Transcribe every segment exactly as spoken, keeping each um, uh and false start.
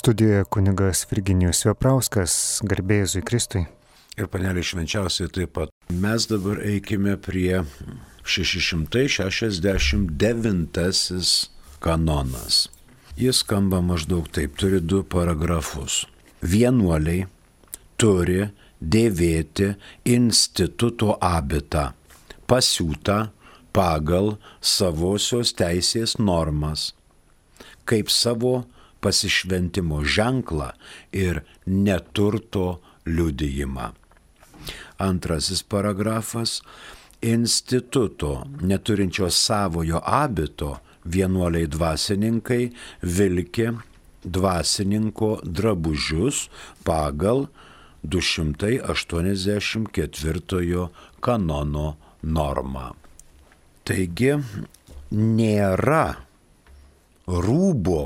Studijoje kunigas Virginijus Veprauskas, garbė Jėzui Kristui. Ir panelė švenčiausiai taip pat. Mes dabar eikime prie šeši šimtai šešiasdešimt devintasis kanonas. Jis skamba maždaug taip, turi du paragrafus. Vienuoliai turi dėvėti instituto abitą, pasiūtą pagal savosios teisės normas, kaip savo pasišventimo ženklą ir neturto liudijimą. Antrasis paragrafas. Instituto neturinčio savojo abito vienuoliai dvasininkai vilki dvasininko drabužius pagal du šimtai aštuoniasdešimt ketvirtojo kanono normą. Taigi nėra rūbo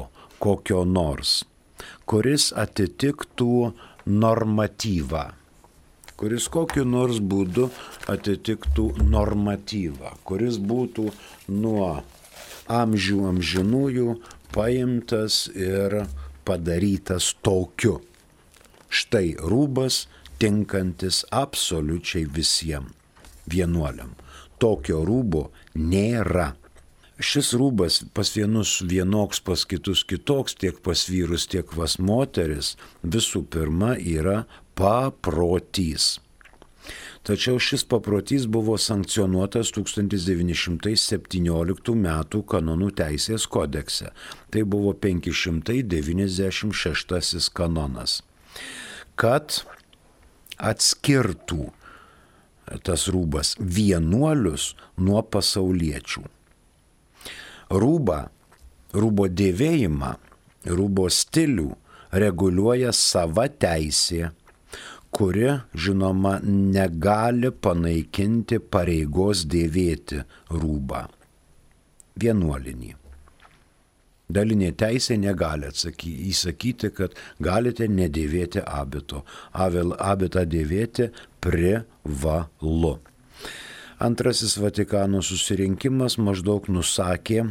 kokio nors, kuris atitiktų normatyvą, kuris kokiu nors būdu atitiktų normatyvą, kuris būtų nuo amžių amžinųjų paimtas ir padarytas tokiu. Štai rūbas tinkantis absoliučiai visiems vienuoliam. Tokio rūbo nėra. Šis rūbas pas vienus vienoks, pas kitus kitoks, tiek pas vyrus, tiek pas moteris, visų pirma yra paprotys. Tačiau šis paprotys buvo sankcionuotas tūkstantis devyni šimtai septynioliktų metų kanonų teisės kodekse. Tai buvo penki šimtai devyniasdešimt šeštasis kanonas. Kad atskirtų tas rūbas vienuolius nuo pasauliečių. Rūbą, rūbo dėvėjimą, rūbo stilių reguliuoja sava teisė, kuri, žinoma, negali panaikinti pareigos dėvėti rūbą. Vienuolinį. Dalinė teisė negali atsakyti, įsakyti, kad galite nedėvėti abito. Abitą dėvėti privalu. Antrasis Vatikano susirinkimas maždaug nusakė,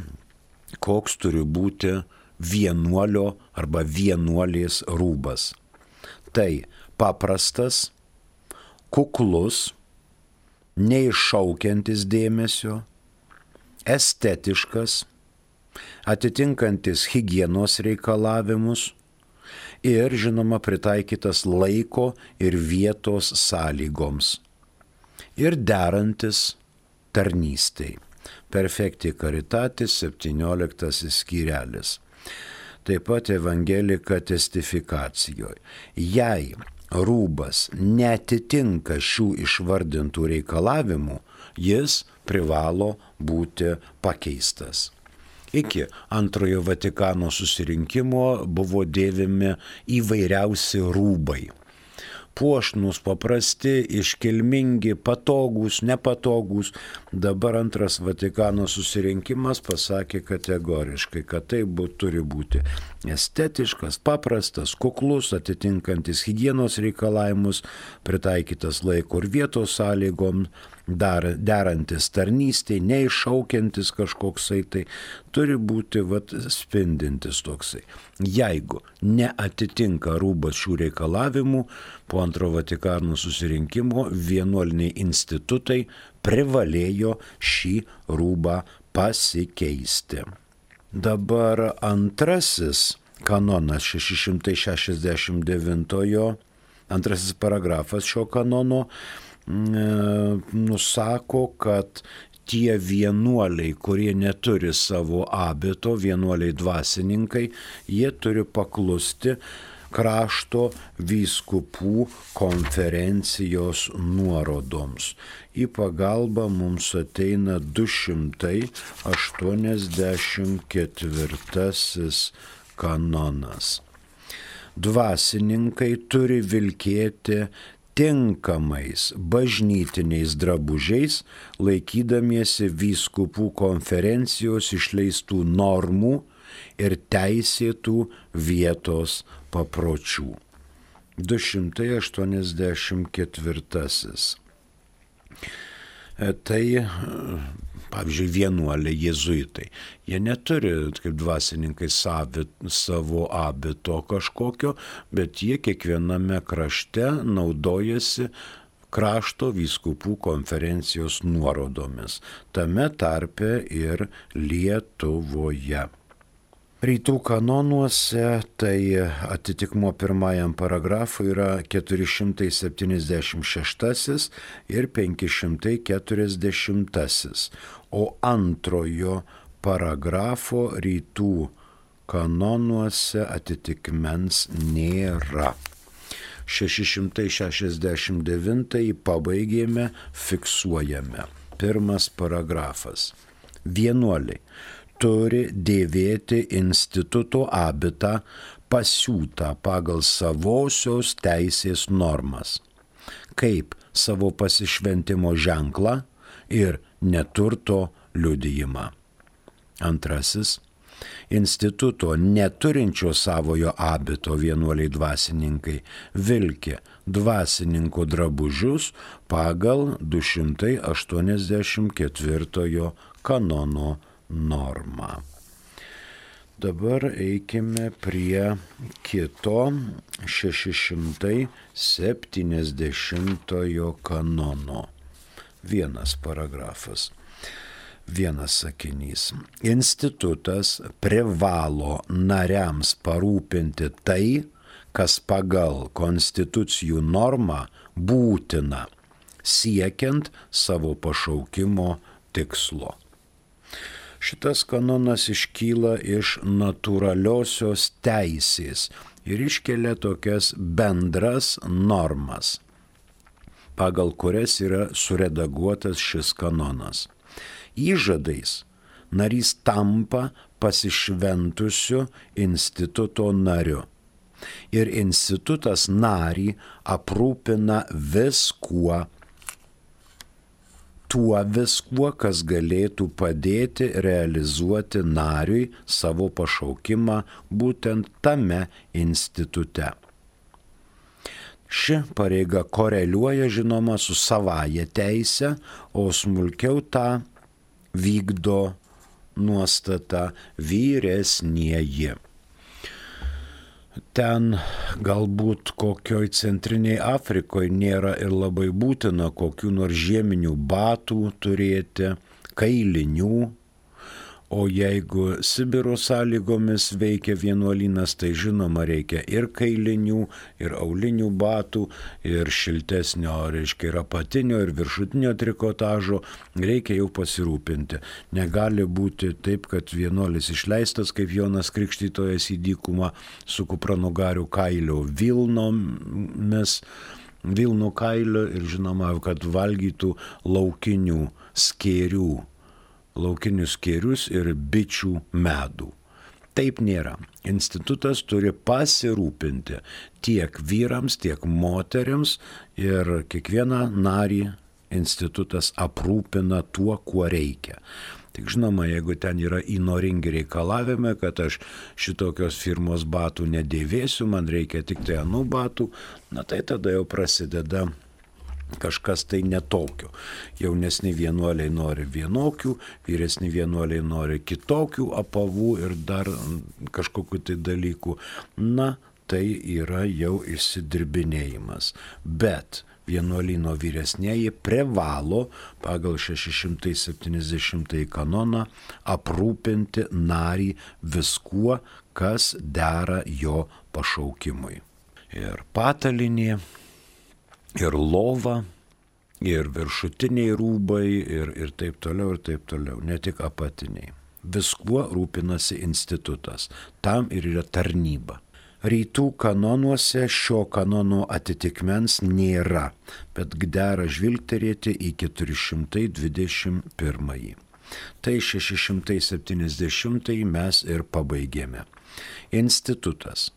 koks turi būti vienuolio arba vienuolės rūbas. Tai paprastas, kuklus, neiššaukiantis dėmesio, estetiškas, atitinkantis higienos reikalavimus ir, žinoma, pritaikytas laiko ir vietos sąlygoms. Ir derantis tarnystei. Perfecti caritatis septynioliktasis skyrelis. Taip pat Evangelika testifikacijoje. Jei rūbas neatitinka šių išvardintų reikalavimų, jis privalo būti pakeistas. Iki antrojo Vatikano susirinkimo buvo dėvimi įvairiausi rūbai. Puošnus, paprasti, iškilmingi, patogūs, nepatogūs. Dabar antras Vatikano susirinkimas pasakė kategoriškai, kad tai būt, turi būti estetiškas, paprastas, kuklus, atitinkantis higienos reikalavimus, pritaikytas laiko ir vietos sąlygom, dar, derantis tarnystei, neiššaukiantis kažkoksai, tai turi būti vat, spindintis toksai. Jeigu neatitinka rūbas šių reikalavimų, po antro Vatikano susirinkimo vienuoliniai institutai privalėjo šį rūbą pasikeisti. Dabar antrasis kanonas šeši šimtai šešiasdešimt devintojo, antrasis paragrafas šio kanono nusako, kad tie vienuoliai, kurie neturi savo abito, vienuoliai dvasininkai, jie turi paklusti krašto vyskupų konferencijos nuorodoms. Į pagalbą mums ateina du šimtai aštuoniasdešimt ketvirtasis kanonas. Dvasininkai turi vilkėti tinkamais bažnytiniais drabužiais, laikydamiesi vyskupų konferencijos išleistų normų ir teisėtų vietos papročių. du šimtai aštuoniasdešimt ketvirtasis. Tai Pavyzdžiui, vienuoliai jėzuitai. Jie neturi, kaip dvasininkai, savi, savo abito kažkokio, bet jie kiekviename krašte naudojasi krašto vyskupų konferencijos nuorodomis, tame tarpe ir Lietuvoje. Rytų kanonuose tai atitikmuo pirmajam paragrafui yra keturi šimtai septyniasdešimt šeštasis ir penki šimtai keturiasdešimtasis, o antrojo paragrafo rytų kanonuose atitikmens nėra. šeši šimtai šešiasdešimt devintąjį pabaigėme, fiksuojame. Pirmas paragrafas. Vienuoliai turi dėvėti instituto abitą pasiūtą pagal savosios teisės normas, kaip savo pasišventimo ženklą ir neturto liudijimą. Antrasis. Instituto neturinčio savojo abito vienuoliai dvasininkai vilki dvasininko drabužius pagal du šimtai aštuoniasdešimt ketvirtojo kanono normą. Dabar eikime prie kito šeši šimtai septyniasdešimtojo kanono. Vienas paragrafas. Vienas sakinys. Institutas privalo nariams parūpinti tai, kas pagal konstitucijų normą būtina, siekiant savo pašaukimo tikslo. Šitas kanonas iškyla iš natūraliosios teisės ir iškelia tokias bendras normas, pagal kurias yra suredaguotas šis kanonas. Įžadais narys tampa pasišventusiu instituto nariu ir institutas narį aprūpina viskuo, tuo viskuo, kas galėtų padėti realizuoti nariui savo pašaukimą būtent tame institute. Ši pareiga koreliuoja, žinoma, su savaja teise, o smulkiau tą vykdo nuostata vyresnieji. Ten galbūt kokioj centriniai Afrikoje nėra ir labai būtina kokių nors žieminių batų turėti, kailinių, o jeigu Sibiro sąlygomis veikia vienuolynas, tai žinoma reikia ir kailinių, ir aulinių batų, ir šiltesnio, reiškia, ir apatinio, ir viršutinio trikotažo, reikia jau pasirūpinti. Negali būti taip, kad vienuolis išleistas kaip Jonas Krikštytojas į dykumą su kupranugarių kailio vilnomis, vilnų kailio ir žinoma, kad valgytų laukinių skėrių. laukinius skėrius ir bičių medų. Taip nėra. Institutas turi pasirūpinti tiek vyrams, tiek moteriams ir kiekvieną narį institutas aprūpina tuo, kuo reikia. Tik žinoma, jeigu ten yra įnoringi reikalavimai, kad aš šitokios firmos batų nedėvėsiu, man reikia tik tai anų batų, na tai tada jau prasideda kažkas tai netokio. Jaunesni vienuoliai nori vienokių, vyresni vienuoliai nori kitokių apavų ir dar kažkokių tai dalykų. Na, tai yra jau išsidirbinėjimas. Bet vienuolyno vyresnieji privalo pagal šeši šimtai septyniasdešimtąjį kanoną aprūpinti narį viskuo, kas dera jo pašaukimui. Ir patalinė, ir lova, ir viršutiniai rūbai, ir, ir taip toliau, ir taip toliau, ne tik apatiniai. Viskuo rūpinasi institutas, tam ir yra tarnyba. Rytų kanonuose šio kanono atitikmens nėra, bet dera žvilgterėti į keturi šimtai dvidešimt pirmąjį. Tai šeši šimtai septyniasdešimtąjį mes ir pabaigėme. Institutas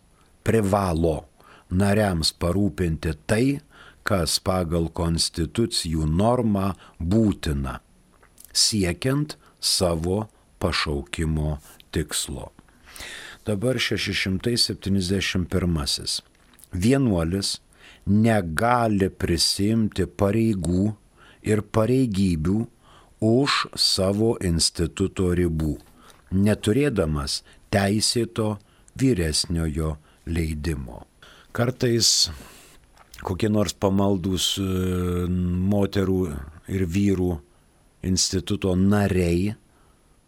privalo nariams parūpinti tai, kas pagal konstitucijų normą būtina, siekiant savo pašaukimo tikslo. Dabar šeši šimtai septyniasdešimt pirmasis. Vienuolis negali prisimti pareigų ir pareigybių už savo instituto ribų, neturėdamas teisėto vyresniojo leidimo. Kartais kokie nors pamaldūs moterų ir vyrų instituto nariai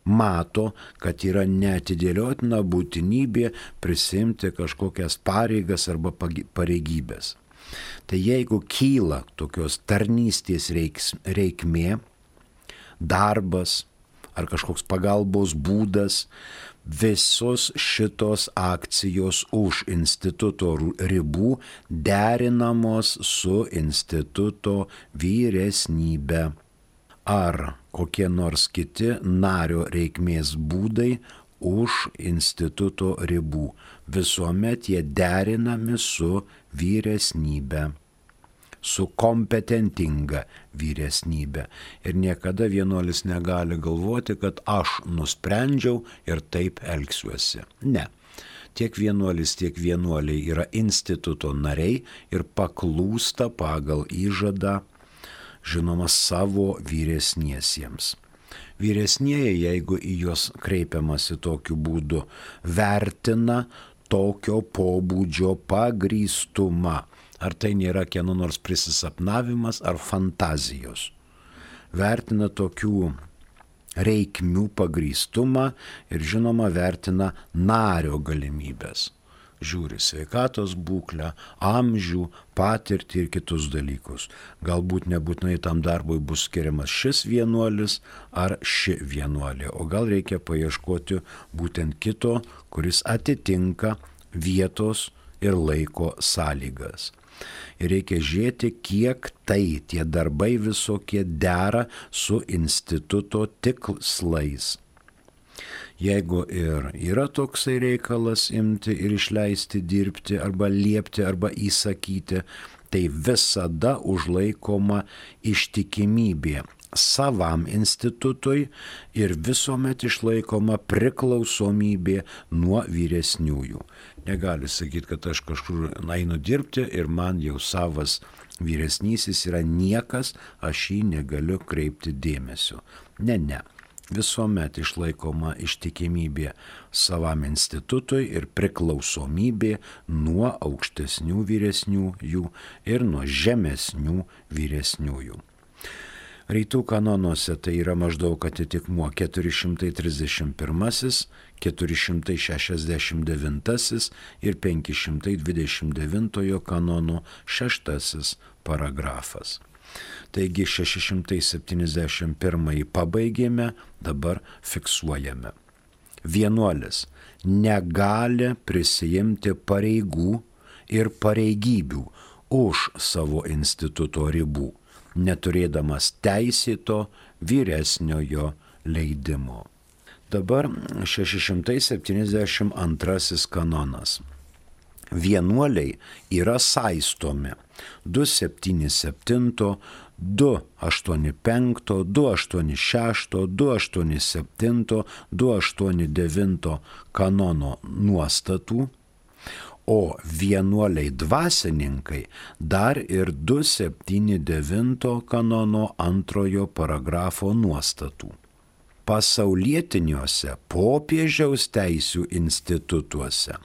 mato, kad yra neatidėliotina būtinybė prisimti kažkokias pareigas arba pareigybės. Tai jeigu kyla tokios tarnystės reiks, reikmė, darbas ar kažkoks pagalbos būdas, visos šitos akcijos už instituto ribų derinamos su instituto vyresnybe. Ar kokie nors kiti nario reikmės būdai už instituto ribų. Visuomet jie derinami su vyresnybe, su kompetentinga vyresnybe. Ir niekada vienuolis negali galvoti, kad aš nusprendžiau ir taip elgsiuosi. Ne. Tiek vienuolis, tiek vienuoliai yra instituto nariai ir paklūsta pagal įžadą, žinoma, savo vyresniesiems. Vyresnieji, jeigu į juos kreipiamasi tokiu būdu, vertina tokio pobūdžio pagrįstumą. Ar tai nėra kieno nors prisisapnavimas ar fantazijos. Vertina tokių reikmių pagrįstumą ir, žinoma, vertina nario galimybės. Žiūri sveikatos būklę, amžių, patirtį ir kitus dalykus. Galbūt nebūtinai tam darbui bus skiriamas šis vienuolis ar ši vienuolė, o gal reikia paieškoti būtent kito, kuris atitinka vietos ir laiko sąlygas. Ir reikia žiūrėti, kiek tai tie darbai visokie dera su instituto tikslais. Jeigu ir yra toksai reikalas imti ir išleisti dirbti arba liepti arba įsakyti, tai visada užlaikoma ištikimybė savam institutui ir visuomet išlaikoma priklausomybė nuo vyresniųjų. Negali sakyti, kad aš kažkur einu dirbti ir man jau savas vyresnysis yra niekas, aš jį negaliu kreipti dėmesio. Ne, ne. Visuomet išlaikoma ištikimybė savam institutui ir priklausomybė nuo aukštesnių vyresniųjų ir nuo žemesnių vyresniųjų. Rytų kanonuose tai yra maždaug atitikmuo keturi šimtai trisdešimt pirmas, keturi šimtai šešiasdešimt devintas ir penki šimtai dvidešimt devintojo kanono šeštasis paragrafas. Taigi šeši šimtai septyniasdešimt pirmąjį pabaigėme, dabar fiksuojame. Vienuolis negali prisijimti pareigų ir pareigybių už savo instituto ribų, neturėdamas teisėto vyresniojo leidimo. Dabar šeši šimtai septyniasdešimt antrasis kanonas. Vienuoliai yra saistomi du septyni septyni, du aštuoni penki, du aštuoni šeši, du aštuoni septyni, du aštuoni devyni kanono nuostatų, o vienuoliai dvasininkai dar ir du septyni devyni kanono antrojo paragrafo nuostatų. Pasaulietiniuose popiežiaus teisių institutuose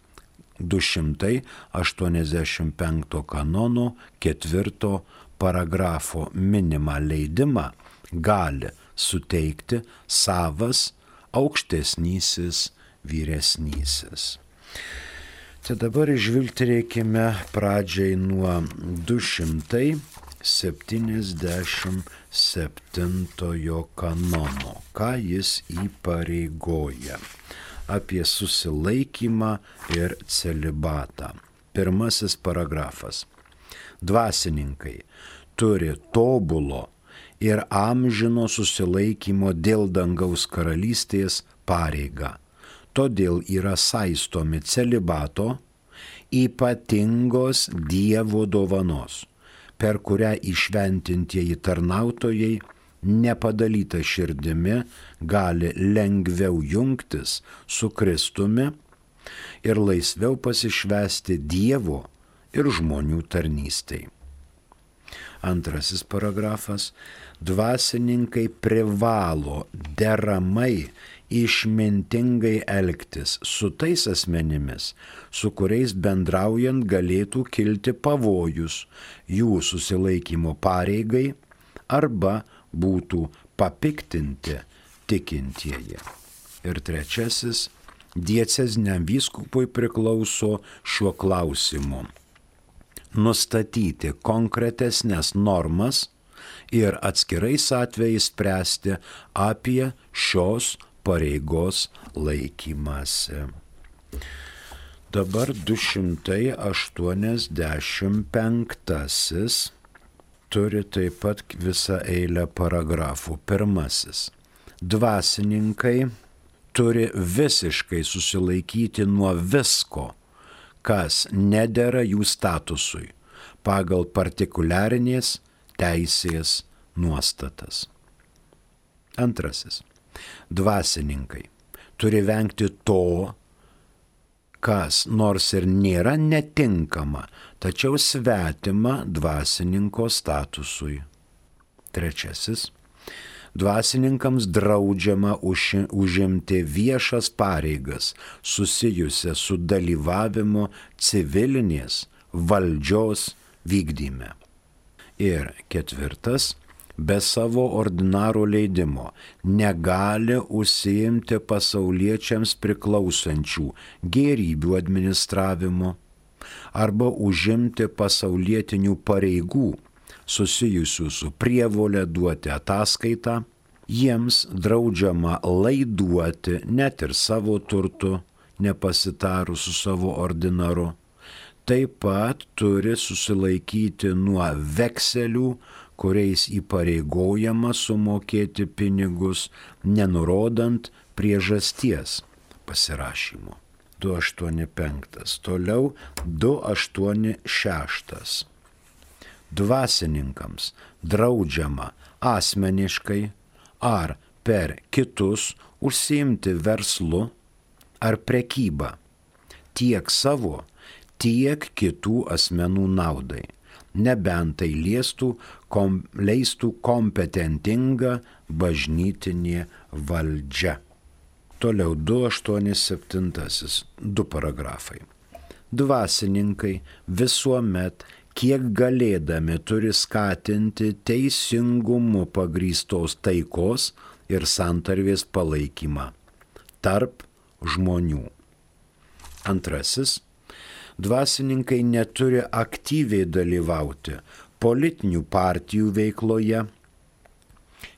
du šimtai aštuoniasdešimt penkto kanono ketvirto paragrafo minimą leidimą gali suteikti savas aukštesnysis vyresnysis. Tai dabar žvilgterėkime pradžiai nuo du šimtai septyniasdešimt septintojo kanono, ką jis įpareigoja. Apie susilaikymą ir celibatą. Pirmasis paragrafas. Dvasininkai turi tobulo ir amžino susilaikymo dėl dangaus karalystės pareigą. Todėl yra saistomi celibato ypatingos Dievo dovanos, per kurią įšventintieji tarnautojai nepadalyta širdimi gali lengviau jungtis su Kristumi ir laisviau pasišvęsti Dievo ir žmonių tarnystei. Antrasis paragrafas. Dvasininkai privalo deramai išmintingai elgtis su tais asmenimis, su kuriais bendraujant galėtų kilti pavojus jų susilaikymo pareigai arba būtų papiktinti tikintieji. Ir trečiasis, dieceziniam vyskupui priklauso šiuo klausimu nustatyti konkretesnės normas ir atskirais atvejais spręsti apie šios pareigos laikymąsi. Dabar du šimtai aštuoniasdešimt penktasis turi taip pat visą eilę paragrafų. Pirmasis. Dvasininkai turi visiškai susilaikyti nuo visko, kas nedera jų statusui pagal partikuliarinės teisės nuostatas. Antrasis. Dvasininkai turi vengti to, kas nors ir nėra netinkama, tačiau svetima dvasininko statusui. Trečiasis. Dvasininkams draudžiama užimti viešas pareigas susijusias su dalyvavimu civilinės valdžios vykdyme. Ir ketvirtas. Be savo ordinaro leidimo negali užsiimti pasauliečiams priklausančių gėrybių administravimo arba užimti pasaulietinių pareigų susijusių su prievolė duoti ataskaitą, jiems draudžiama laiduoti net ir savo turtu, nepasitarus su savo ordinaru. Taip pat turi susilaikyti nuo vekselių, kuriais įpareigojama sumokėti pinigus, nenurodant priežasties pasirašymo. du aštuoni penktas. Toliau du aštuoni šeštas. Dvasininkams draudžiama asmeniškai ar per kitus užsiimti verslu ar prekybą tiek savo, tiek kitų asmenų naudai, nebent tai liestų, kom, leistų kompetentinga bažnytinė valdžia. Toliau du aštuoni septintasis, du paragrafai. Dvasininkai visuomet, kiek galėdami, turi skatinti teisingumu pagrįstos taikos ir santarvės palaikymą tarp žmonių. Antrasis. Dvasininkai neturi aktyviai dalyvauti politinių partijų veikloje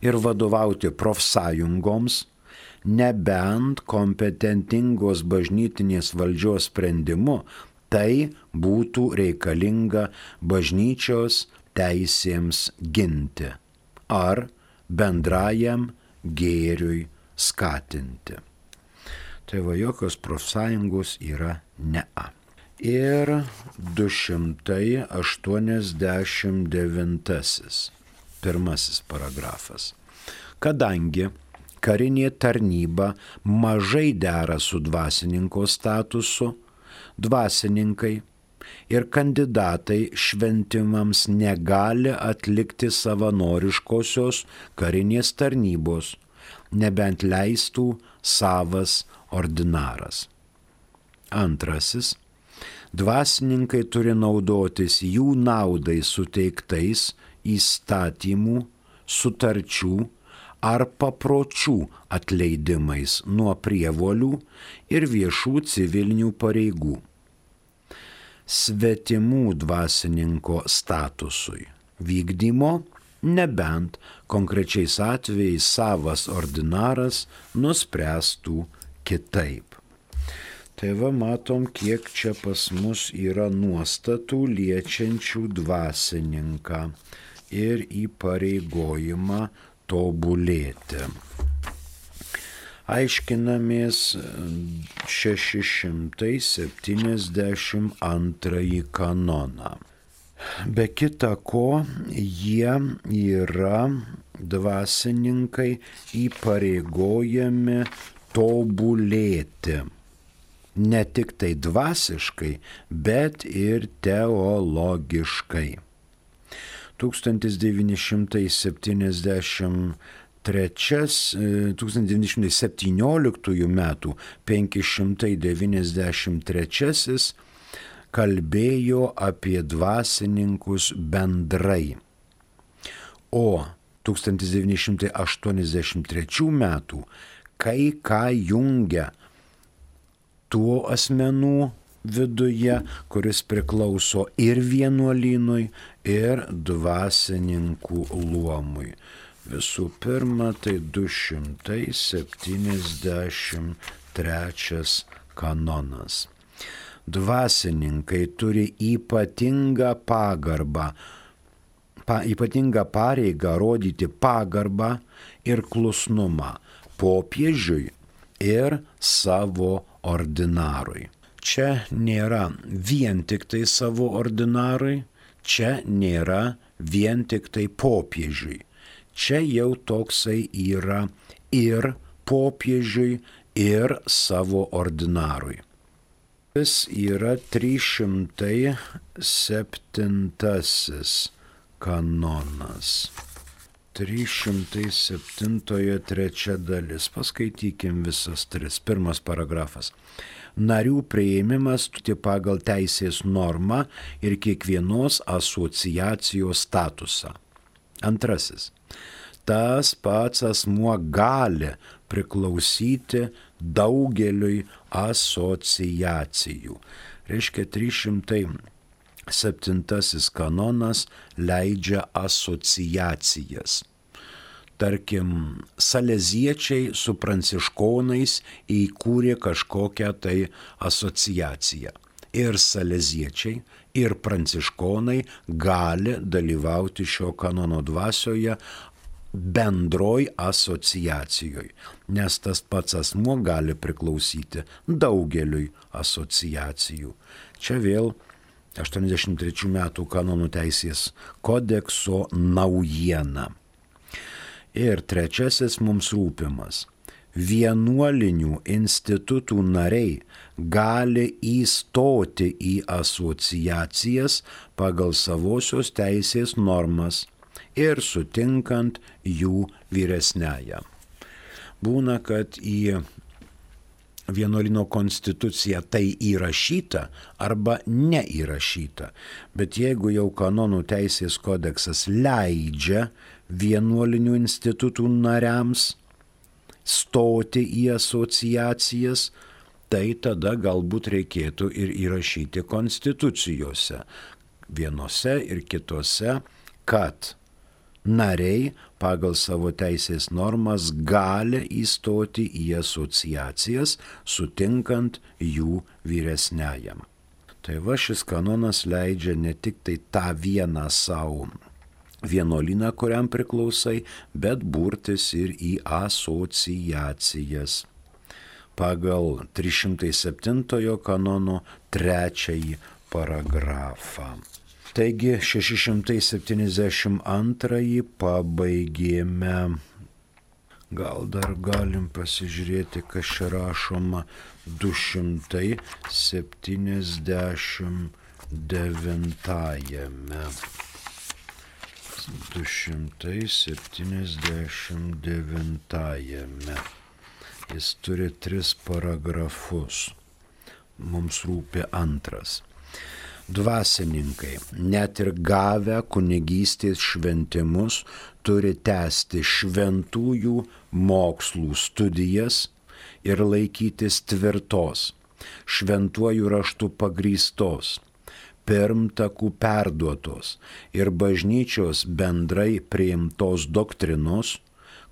ir vadovauti profsąjungoms, nebent kompetentingos bažnytinės valdžios sprendimu tai būtų reikalinga bažnyčios teisėms ginti ar bendrajam gėriui skatinti. Tai va, jokios profsąjungos yra ne-a. Ir du šimtai aštuoniasdešimt devintasis, pirmasis paragrafas. Kadangi karinė tarnyba mažai dera su dvasininko statusu, dvasininkai ir kandidatai šventimams negali atlikti savanoriškosios karinės tarnybos, nebent leistų savas ordinaras. Antrasis. Dvasininkai turi naudotis jų naudai suteiktais įstatymų, sutarčių ar papročių atleidimais nuo prievolių ir viešų civilinių pareigų. Svetimų dvasininko statusui vykdymo, nebent konkrečiais atvejais savas ordinaras nuspręstų kitaip. Tai va, matom, kiek čia pas mus yra nuostatų liečiančių dvasininką ir įpareigojimą tobulėti. Aiškinamės šeši šimtai septyniasdešimt antrąjį kanoną. Be kita ko, jie yra dvasininkai įpareigojami tobulėti. Ne tik tai dvasiškai, bet ir teologiškai. tūkstantis devyni šimtai septyniasdešimt septynioliktųjų metų penki šimtai devyniasdešimt trečiasis kalbėjo apie dvasininkus bendrai, o tūkstantis devyni šimtai aštuoniasdešimt trečių metų kai ką jungia tų asmenų viduje, kuris priklauso ir vienuolynui, ir dvasininkų luomui. Visų pirma, tai du šimtai septyniasdešimt trečias kanonas. Dvasininkai turi ypatingą pagarbą, pa, ypatingą pareigą rodyti pagarbą ir klusnumą popiežiui ir savo ordinarui. Čia nėra vien tik tai savo ordinarui, čia nėra vien tik tai popiežiui. Čia jau toksai yra ir popiežiui, ir savo ordinarui. Jis yra trys šimtai septintasis kanonas. trys šimtai septintojo trečia dalis. Paskaitykim visas tris. Pirmas paragrafas. Narių priėmimas pagal teisės normą ir kiekvienos asociacijos statusą. Antrasis. Tas pats asmuo gali priklausyti daugeliui asociacijų. Reiškia, trys šimtai septintasis kanonas leidžia asociacijas. Tarkim, saleziečiai su pranciškonais įkūrė kažkokią tai asociaciją. Ir saleziečiai, ir pranciškonai gali dalyvauti šio kanono dvasioje bendroj asociacijoje, nes tas pats asmuo gali priklausyti daugeliui asociacijų. Čia vėl aštuoniasdešimt trečių metų kanonų teisės kodekso naujiena. Ir trečiasis mums rūpimas. Vienuolinių institutų nariai gali įstoti į asociacijas pagal savosios teisės normas ir sutinkant jų vyresniąją. Būna, kad į vienuolino konstituciją tai įrašyta arba neįrašyta, bet jeigu jau kanonų teisės kodeksas leidžia vienuolinių institutų nariams stoti į asociacijas, tai tada galbūt reikėtų ir įrašyti konstitucijose, vienose ir kitose, kad nariai pagal savo teisės normas gali įstoti į asociacijas, sutinkant jų vyresniajam. Tai va, šis kanonas leidžia ne tik tai tą vieną savo vienuolyną, kuriam priklausai, bet burtis ir į asociacijas. Pagal trys šimtai septintojo kanono trečiąjį paragrafą. Taigi šeši šimtai septyniasdešimt antrąjį pabaigėme. Gal dar galim pasižiūrėti, kas čia rašoma du šimtai septyniasdešimt devintajame. du šimtai septyniasdešimt devintajame. Jis turi tris paragrafus. Mums rūpi antras. Dvasininkai, net ir gavę kunigystės šventimus, turi tęsti šventųjų mokslų studijas ir laikytis tvirtos, šventuoju raštu pagrįstos, pirmtakų perduotos ir bažnyčios bendrai priimtos doktrinos,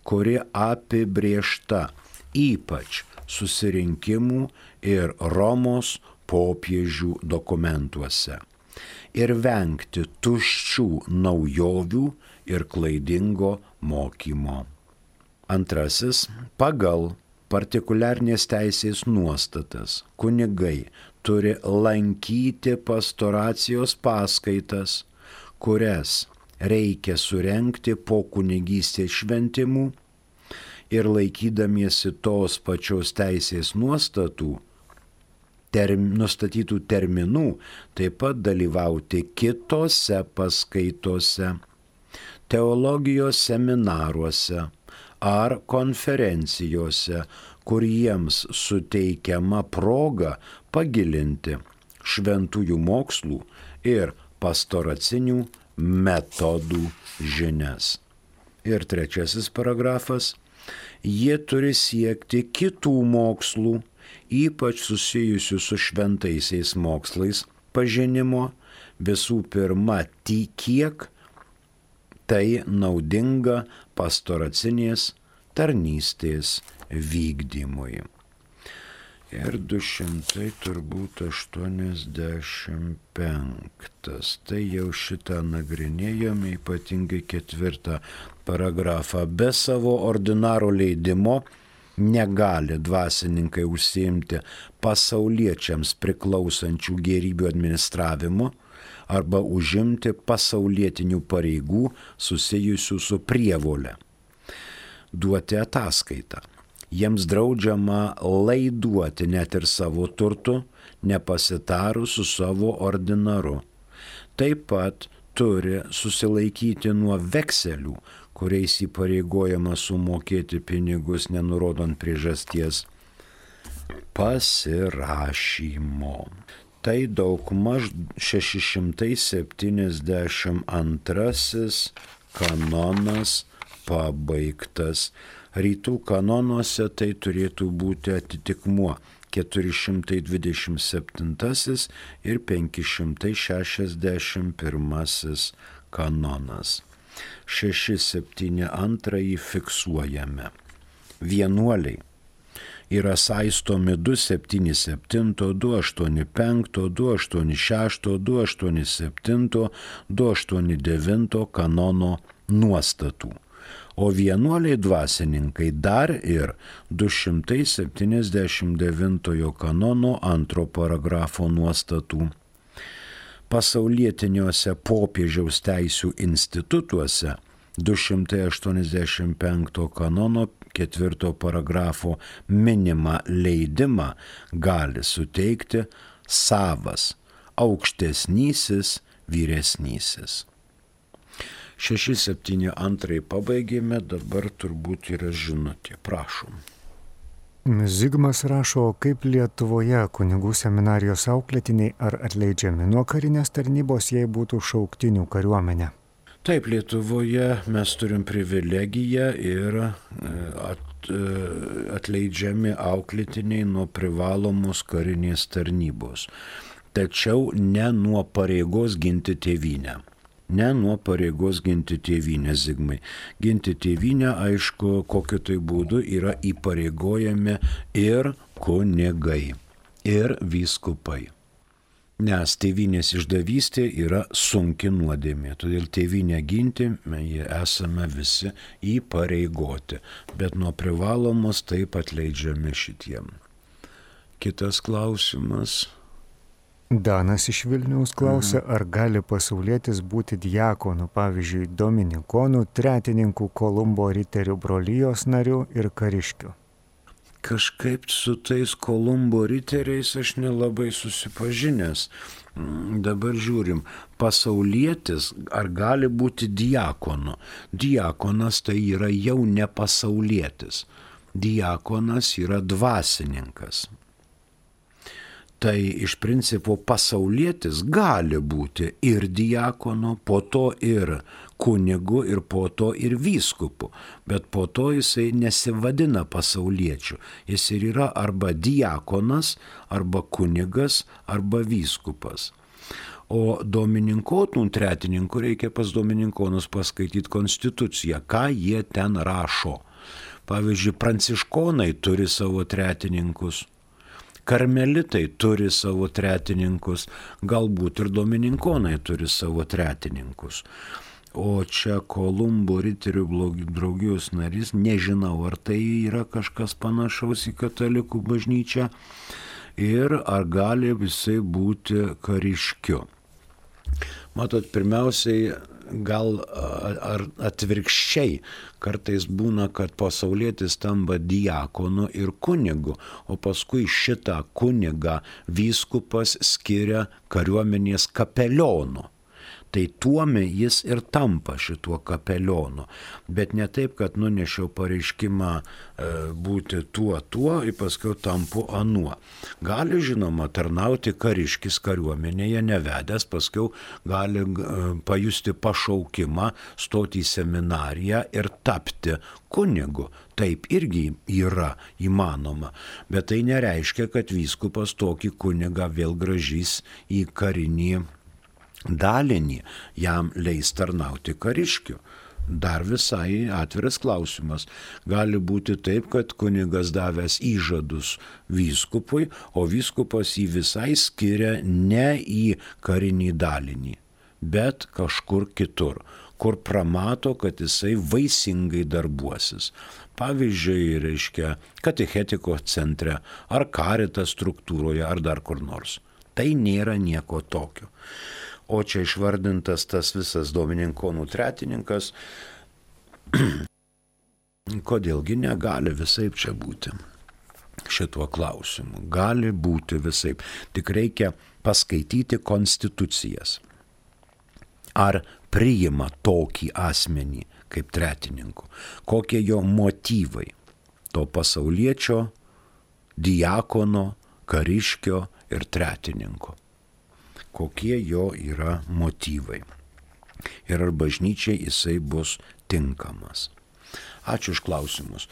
kuri apibrėžta ypač susirinkimų ir Romos popiežių dokumentuose, ir vengti tuščių naujovių ir klaidingo mokymo. Antrasis, pagal partikuliarnės teisės nuostatas kunigai turi lankyti pastoracijos paskaitas, kurias reikia surenkti po kunigystės šventimų, ir laikydamiesi tos pačios teisės nuostatų, term, nustatytų terminų, taip pat dalyvauti kitose paskaitose. teologijos seminaruose ar konferencijose, kur jiems suteikiama proga pagilinti šventųjų mokslų ir pastoracinių metodų žinias. Ir trečiasis paragrafas. Jie turi siekti kitų mokslų, ypač susijusių su šventaisiais mokslais, pažinimo, visų pirma, tik kiek tai naudinga pastoracinės tarnystės vykdymui. Ir du šimtai turbūt aštuoniasdešimt penktas. Tai jau šitą nagrinėjome, ypatingai ketvirtą paragrafą. Be savo ordinaro leidimo negali dvasininkai užsiimti pasauliečiams priklausančių gėrybių administravimu arba užimti pasaulietinių pareigų susijusių su prievole. Duoti ataskaitą. Jiems draudžiama laiduoti net ir savo turtų, nepasitarus su savo ordinaru. Taip pat turi susilaikyti nuo vekselių, kuriais įpareigojama sumokėti pinigus, nenurodant priežasties, pasirašymo. Tai daugmaž šeši šimtai septyniasdešimt antrasis kanonas pabaigtas. Rytų kanonuose tai turėtų būti atitikmuo keturi šimtai dvidešimt septintasis ir penki šimtai šešiasdešimt pirmasis kanonas. šeši septyni antrąjį fiksuojame. Vienuoliai yra saistomi du septyni septyni, du aštuoni penki, du aštuoni šeši, du aštuoni septyni, du aštuoni devyni kanono nuostatų. O vienuoliai dvasininkai dar ir du šimtai septyniasdešimt devintojo kanono antro paragrafo nuostatų. Pasaulietiniuose popiežiaus teisių institutuose du šimtai aštuoniasdešimt penkto kanono ketvirto paragrafo minimą leidimą gali suteikti savas aukštesnysis vyresnysis. šeši septyni antrai pabaigėme, dabar turbūt yra žinutė. Prašom. Zigmas rašo, kaip Lietuvoje kunigų seminarijos auklėtiniai ar atleidžiami nuo karinės tarnybos, jei būtų šauktinių kariuomenė. Taip, Lietuvoje mes turim privilegiją ir at, atleidžiami auklėtiniai nuo privalomos karinės tarnybos. Tačiau ne nuo pareigos ginti tėvynę. Ne nuo pareigos ginti tėvynę, Zigmai. Ginti tėvynę, aišku, kokiu tai būdu yra įpareigojami ir kunigai, ir vyskupai. Nes tėvynės išdavystė yra sunki nuodėmė, todėl tėvynę ginti mes esame visi įpareigoti, bet nuo privalomos taip atleidžiami šitiem. Kitas klausimas. Danas iš Vilniaus klausia, mhm. ar gali pasaulietis būti diakonu, pavyzdžiui, dominikonų, tretininku, Kolumbo riterių brolijos narių ir kariškių. Kažkaip su tais Kolumbo riteriais aš nelabai susipažinęs. Dabar žiūrim, pasaulietis ar gali būti diakonu? Diakonas tai yra jau ne pasaulietis. Diakonas yra dvasininkas. Tai iš principo pasaulietis gali būti ir diakonu, po to ir kunigu ir po to ir vyskupu, bet po to jisai nesivadina pasauliečiu. Jis ir yra arba diakonas, arba kunigas, arba vyskupas. O domininkonų tretininkų reikia pas domininkonus paskaityti konstituciją, ką jie ten rašo. Pavyzdžiui, pranciškonai turi savo tretininkus. Karmelitai turi savo tretininkus, galbūt ir domininkonai turi savo tretininkus. O čia Kolumbo riterių draugijos narys, nežinau, ar tai yra kažkas panašaus į katalikų bažnyčią ir ar gali visai būti kariškiu. Matot, pirmiausiai, gal ar atvirkščiai, kartais būna, kad pasaulietis tampa diakonu ir kunigu, o paskui šitą kunigą vyskupas skiria kariuomenės kapelionu. Tai tuome jis ir tampa šituo kapelionu. Bet ne taip, kad nunešiau pareiškimą e, būti tuo, tuo ir paskui tampu anuo. Gali, žinoma, tarnauti kariškis kariuomenėje nevedęs, paskui gali e, pajusti pašaukimą, stoti į seminariją ir tapti kunigu. Taip irgi yra įmanoma, bet tai nereiškia, kad vyskupas tokį kunigą vėl grąžys į karinį dalinį, jam leis tarnauti kariškiu. Dar visai atviras klausimas. Gali būti taip, kad kunigas davęs įžadus vyskupui, o vyskupas jį visai skiria ne į karinį dalinį, bet kažkur kitur, kur pramato, kad jisai vaisingai darbuosis. Pavyzdžiui, reiškia, katechetiko centre, ar Caritas struktūroje, ar dar kur nors. Tai nėra nieko tokio. O čia išvardintas tas visas dominikonų tretininkas, kodėlgi negali visaip čia būti šituo klausimu. Gali būti visaip. Tik reikia paskaityti konstitucijas. Ar priima tokį asmenį kaip tretininku? Kokie jo motyvai? To pasauliečio, diakono, kariškio ir tretininko. Kokie jo yra motyvai? Ir ar bažnyčiai jisai bus tinkamas? Ačiū už klausimus.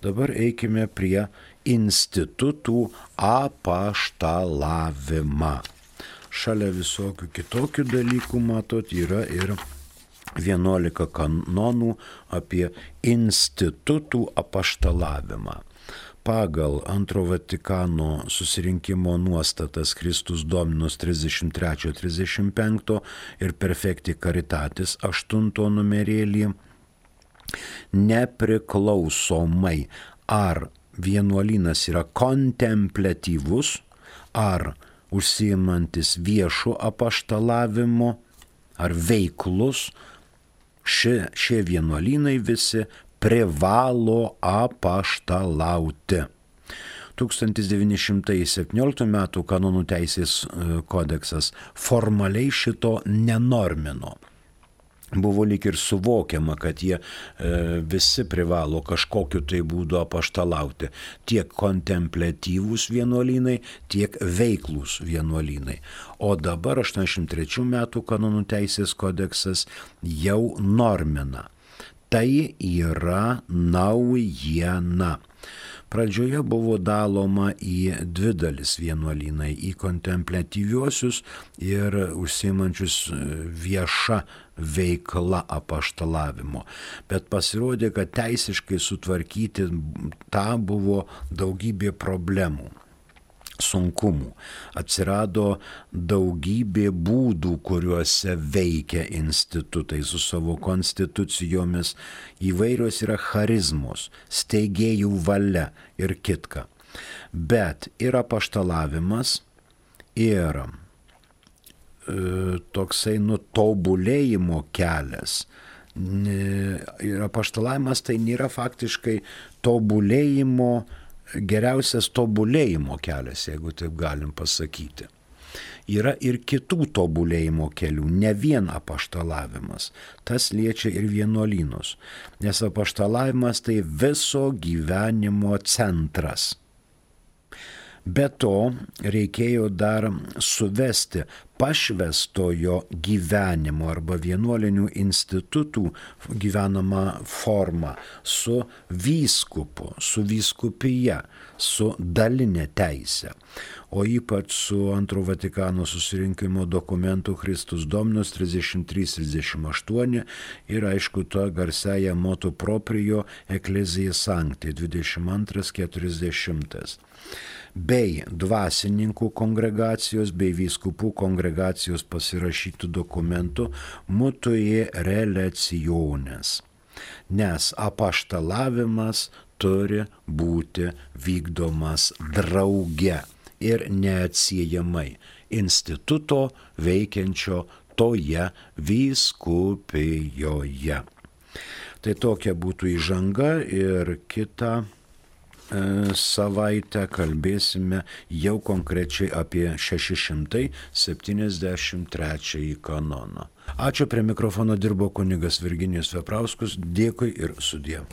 Dabar eikime prie institutų apaštalavimą. Šalia visokių kitokių dalykų, matot, yra ir vienuolika kanonų apie institutų apaštalavimą. Pagal Antro Vatikano susirinkimo nuostatas Kristus Dominus trisdešimt trys trisdešimt penki ir Perfecti Caritatis aštunto numerėlį, nepriklausomai ar vienuolynas yra kontempliatyvus, ar užsiimantis viešų apaštalavimu, ar veiklus, šie, šie vienuolynai visi privalo apaštalauti. tūkstantis devyni šimtai septynioliktų metų kanonų teisės kodeksas formaliai šito nenormino. Buvo lyg ir suvokiama, kad jie e, visi privalo kažkokiu tai būdu apaštalauti. Tiek kontempliatyvūs vienuolynai, tiek veiklūs vienuolynai. O dabar aštuoniasdešimt trečių metų kanonų teisės kodeksas jau normina. Tai yra naujiena. Pradžioje buvo daloma į dvi dalis vienuolynai, į kontempliatyviuosius ir užsiimančius vieša veikla apaštalavimo. Bet pasirodė, kad teisiškai sutvarkyti tą buvo daugybė problemų, sunkumų. Atsirado daugybė būdų, kuriuose veikia institutai su savo konstitucijomis. Įvairios yra charizmos, steigėjų valia ir kitka. Bet ir apaštalavimas, ir e, toksai nutobulėjimo kelias. Ir apaštalavimas tai nėra faktiškai tobulėjimo, geriausias tobulėjimo kelias, jeigu taip galim pasakyti. Yra ir kitų tobulėjimo kelių, ne vien apaštalavimas. Tas liečia ir vienuolynus, nes apaštalavimas tai viso gyvenimo centras. Be to reikėjo dar suvesti pašvestojo gyvenimo arba vienuolinių institutų gyvenamą formą su vyskupu, su vyskupija, su dalinė teise. O ypač su Antro Vatikano susirinkimo dokumentu Christus Dominus trisdešimt trys trisdešimt aštuoni ir aišku to garsiaja motu proprio Ecclesiae Sancti dvidešimt antras keturiasdešimtas. Bei dvasininkų kongregacijos bei vyskupų kongregacijos pasirašytų dokumentų Mutui Relationes. Nes apaštalavimas turi būti vykdomas drauge ir neatsiejamai instituto veikiančio toje vyskupijoje. Tai tokia būtų įžanga ir kita savaitę kalbėsime jau konkrečiai apie šeši šimtai septyniasdešimt trečiąjį kanoną. Ačiū, prie mikrofono dirbo kunigas Virginijus Veprauskus, dėkui ir sudie.